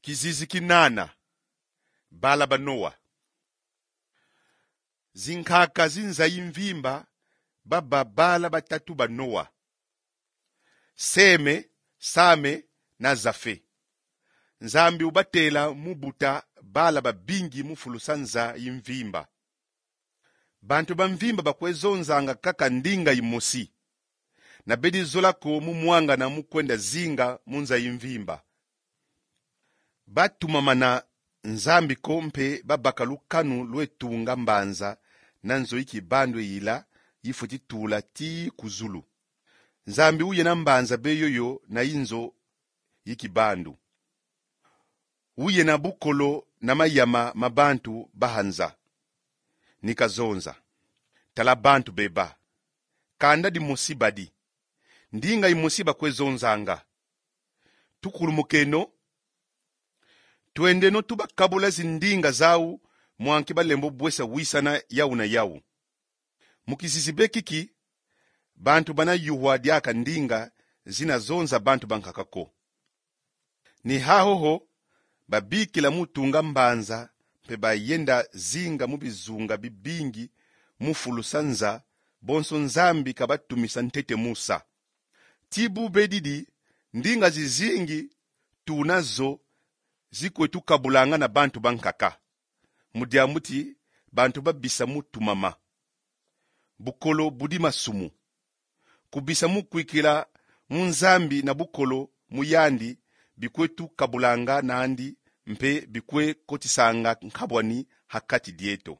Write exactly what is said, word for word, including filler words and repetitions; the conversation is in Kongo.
Kizizi ki nana. Bala ba Noa. Zinkaka zi nza yi mvimba baba bala batatu ba Noa: Seme, Same na Zafe. Nzambi ubatela mu buta bala babingi mu fulusa nza yi mvimba. Bantu ba mvimba bakwe zonzanga kaka ndinga yimosi, na bedi zola ko mu mwangana mu kwenda zinga mu nza yi mvimba. Batumamana Nzambi ko mpe babaka lukanu lwe tunga mbanza na nzo yi kibandu yila yifweti tula tii ku zulu. Nzambi uyena mbanza be yoyo na yi nzo yi kibandu. Uyena bukolo na mayama ma bantu ba ha nza. Ni kazonza: Tala bantu beba. Kanda dimosi badi. Ndinga yimosi bakwe zonzanga. Tukulumukeno. Twendeno tubakabula zindinga zau mwa nki balembo bwesa wisana yau na yau. Mu kizizi be kiki, bantu bana yuhwa diaka ndinga zina zonza bantu bankaka ko. Ni hahoho, babikila mu tunga mbanza, mpe bayenda zinga mu bizunga bibingi mu fulusa nza, bonso Nzambi kabatumisa ntete mu sa. Tii bu bedidi, ndinga zizingi tuna zo zikwe tukabulanga na bantu bankaka, mu diambu ti bantu babisa mu tumama. Bukolo budi masumu. Kubisa mu kwikila mu Nzambi na bukolo mu yandi bikwe tukabulanga nandi, mpe bikwe kotisanga nkabwani ha kati dieto.